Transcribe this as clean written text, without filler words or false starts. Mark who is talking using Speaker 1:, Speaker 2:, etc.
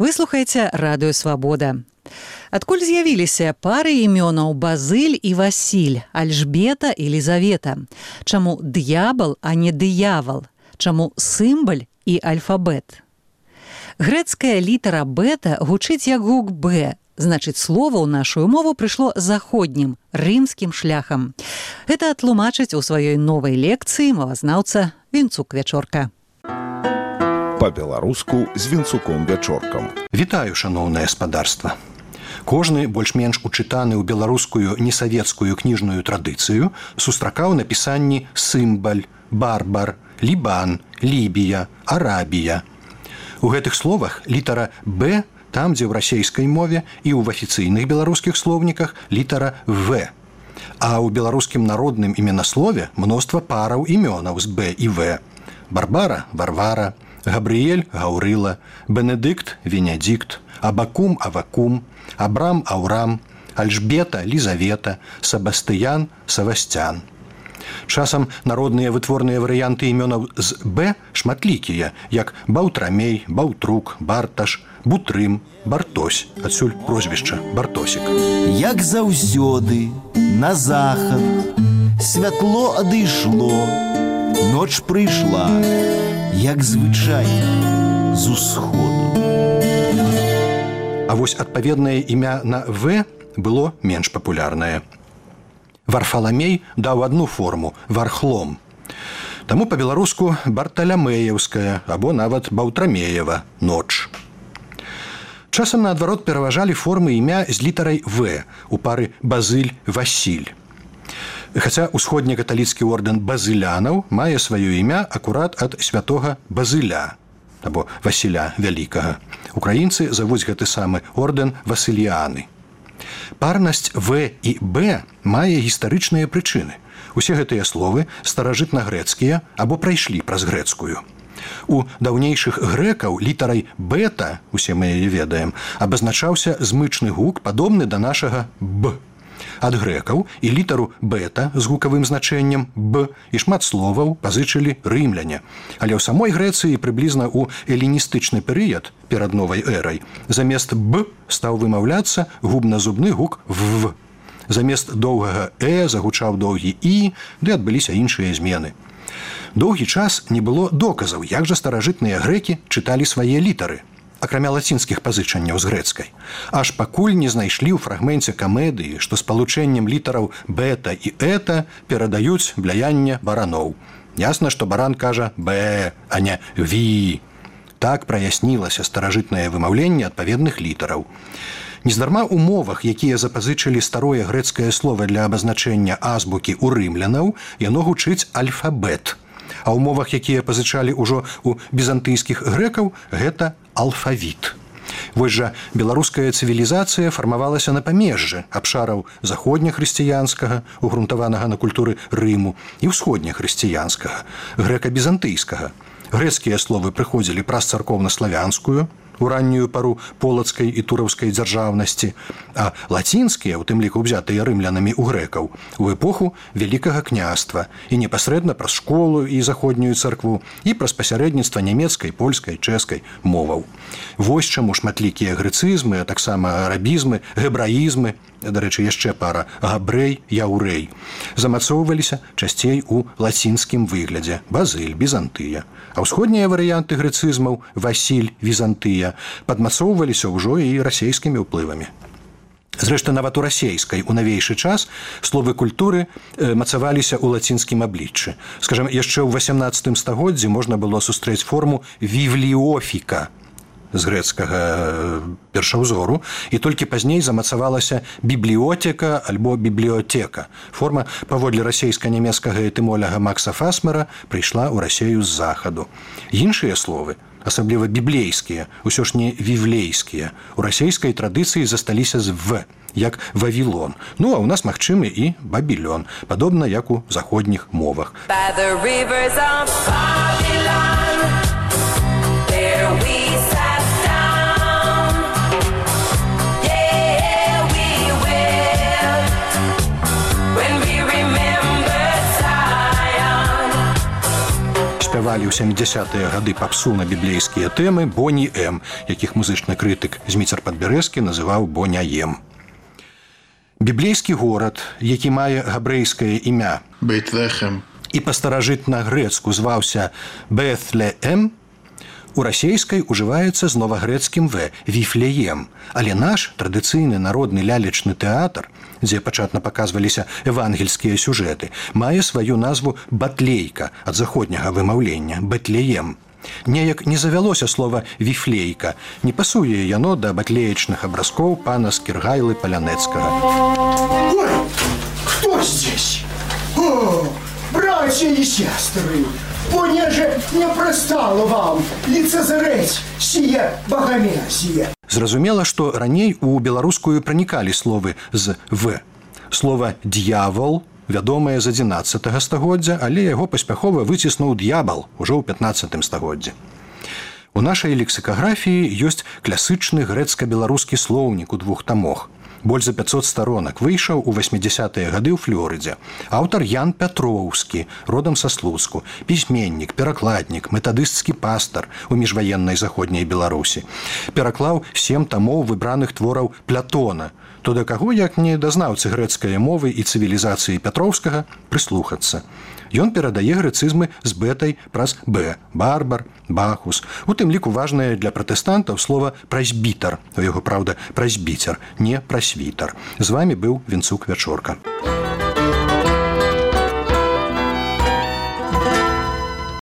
Speaker 1: Вы слухаеце радыё Свабода. Адкуль з'явіліся пары імёнаў Базыль і Васіль, Альжбета і Лізавета? Чаму д'ябал, а не дыявал? Чаму сімбаль і альфабет? Грэцкая літара бета гучыць як гук Б, значыць, слова ў нашу мову прыйшло заходнім, рымскім шляхам. Гэта тлумачыць у сваёй новай лекцыі мовазнаўца Вінцук Вячорка.
Speaker 2: Па-беларуску з Вінцуком Вячоркам.
Speaker 3: Вітаю, шаноўнае спадарства. Кожны больш-менш учытаны ў беларускую несавецкую кніжную традыцыю сустракаў напісанні сімбаль, барбар, лібан, лібія, арабія. У гэтых словах літара «Б» там, дзе ў расейскай мове і ў афіцыйных беларускіх слоўніках літара «В». А ў беларускім народным іменаслове мноства параў імёнаў з «Б» і «В». Барбара – Варвара, Габрыэль – Гаўрыла, Бенедыкт – Венедикт, Абакум – Авакум, Абрам – Аўрам, Альжбета – Лізавета, Сабастыян – Савасцян. Часам народныя вытворныя варыянты імёнаў з «Б» шматлікія, як Баўтрамей, Баўтрук, Барташ, Бутрым, Бартось, адсюль прозвішча Бартосік.
Speaker 4: Як заўсёды, на захад, святло адышло, ноч прыйшла, як звычайна, з усходу.
Speaker 3: А вось адпаведнае імя на «В» было менш папулярнае. Варфаламей даў адну форму – Вархлом. Таму па-беларуску Барталямеевская або нават Баўтрамеева – ноч. Часам наадварот пераважалі формы імя з літарай «В» у пары Базыль-Васіль. Хаця усходнекаталіцкі ордэн базылянаў мае сваё імя акурат ад святога Базыля або Васіля Вялікага. Украінцы завуць гэты самы ордэн Васыліяны. Парнасць «В» і «Б» мае гістарычныя прычыны. Усе гэтыя словы старажытна-грэцкія або прайшлі праз грэцкую. У даўнейшых грэкаў літарай «бета», усе мы яе ведаем, абазначаўся змычны гук, падобны да нашага «б». Ад грэкаў і літару «бета» з гукавым значэннем «б» і шмат словаў пазычылі рымляне. Але ў самой Грэцыі прыблізна ў эліністычны перыяд перад новай эрай замест «б» стаў вымаўляцца губна-зубны гук «в». Замест доўгага «э» загучаў доўгі «і», ды адбыліся іншыя змены. Доўгі час не было доказаў, як жа старажытныя грэкі чыталі свае літары, акрамя лацінскіх пазычанняў з грэцкай. Аж пакуль не знайшлі ў фрагменце камедыі, што спалучэннем літараў «бета» і «эта» перадаюць бляянне бараноў. Ясна, што баран кажа «б», а не «ві». Так праяснілася старажытнае вымаўленне адпаведных літараў. Нездарма ў мовах, якія запазычылі старое грэцкае слова для абазначэння азбукі ў рымлянаў, яно гучыць альфабет. А ў мовах, якія пазычалі ўжо ў візантыйскіх грэкаў, гэта алфавіт. Вось жа беларуская цывілізацыя фармавалася на памежжы абшараў заходнехрысціянскага, угрунтаванага на культуры Рыму, і ўсходнехрысціянскага, грэка-бізантыйскага. Грэцкія словы прыходзілі праз царкоўна-славянскую, у раннюю пару полацкай і тураўскай дзяржаўнасці, а лацінскія, у тым ліку ўзятыя рымлянамі ў грэкаў, у эпоху Вялікага княства і непасрэдна праз школу і заходнюю царкву і праз пасярэдніцтва нямецкай, польскай, чэшскай моваў. Вось чаму шматлікія грэцызмы, а таксама арабізмы, гебраізмы, дарэчы, яшчэ пара габрэй, яўрэй, замацоўваліся часцей у лацінскім выглядзе Базыль, Візантыя. А ўсходнія варыянты грэцызмаў Васіль, Візантыя падмацоўваліся ўжо і расейскімі ўплывамі. Зрэшты, нават у расейскай у навейшы час словы культуры мацаваліся ў лацінскім абліччы. Скажам, яшчэ ў 18 стагоддзі можна было сустрэць форму «вівліофіка» з грэцкага першаўзору, і толькі пазней замацавалася «бібліотека» альбо «бібліотека». Форма, паводле расейска-нямецкага этымоляга Макса Фасмера, прыйшла ў Расею з захаду. Іншыя словы, асабліва біблейскія, усё ж не вівлейскія, у расейскай традыцыі засталіся з «в», як «Вавілон». Ну, а ў нас магчымы і «Бабілён», падобна як у заходніх мовах. By the rivers of Babylon, there we sat down. Yeah, we will, when we remember Zion. спявалі ў 70-е гады папсу на біблейскія тэмы Боні М, якіх музычны крытык Зміцер Падбярэзкі называў Боняем. Біблейскі горад, які мае габрэйскае імя
Speaker 5: Бейтлехем
Speaker 3: і па-старажытна-грэцку зваўся Бэтлеем, у расейскай ужываецца з новагрэцкім «в» – «Віфлеем». Але наш традыцыйны народны лялечны тэатр, дзе пачатна паказваліся евангельскія сюжэты, мае сваю назву «Батлейка» ад заходняга вымаўлення – «Бэтлеем». Неяк не завялося слова «віфлейка», не пасуе яно да батлеечных абразкоў пана Скіргайлы Палянецкага.
Speaker 6: Ой, кто здесь? О, братья и сестры! Понеже не пристало вам лицезреть сие богомерзие.
Speaker 3: Зразумела, што раней у беларускую пранікалі словы з «в». Слова «д'явол» вядомае з 11 стагоддзя, але яго паспяхова выціснуў д'ябал ужо ў 15 стагоддзі. У нашай лексікаграфіі ёсць класычны грэцка-беларускі слоўнік у 2 тамах. Больш за 500 сторонак, выйшаў у 80-е гады ў Флорыдзе. Аўтар Ян Пятроўскі, родам са Слуцку, пісьменнік, перакладнік, метадысцкі пастар у міжваеннай заходняй Беларусі. Пераклаў 7 тамоў выбраных твораў Плятона, то да каго, як не дазнаўцы грэцкай мовы і цывілізацыі Пятроўскага, прыслухацца. Ён перадае грэцызмы з бэтай праз «б» – барбар, бахус. У тым ліку важнае для пратэстантаў слова «прэсбітар». У яго, праўда, прэсбіцер, не прэсвітар. З вамі быў Вінцук Вячорка.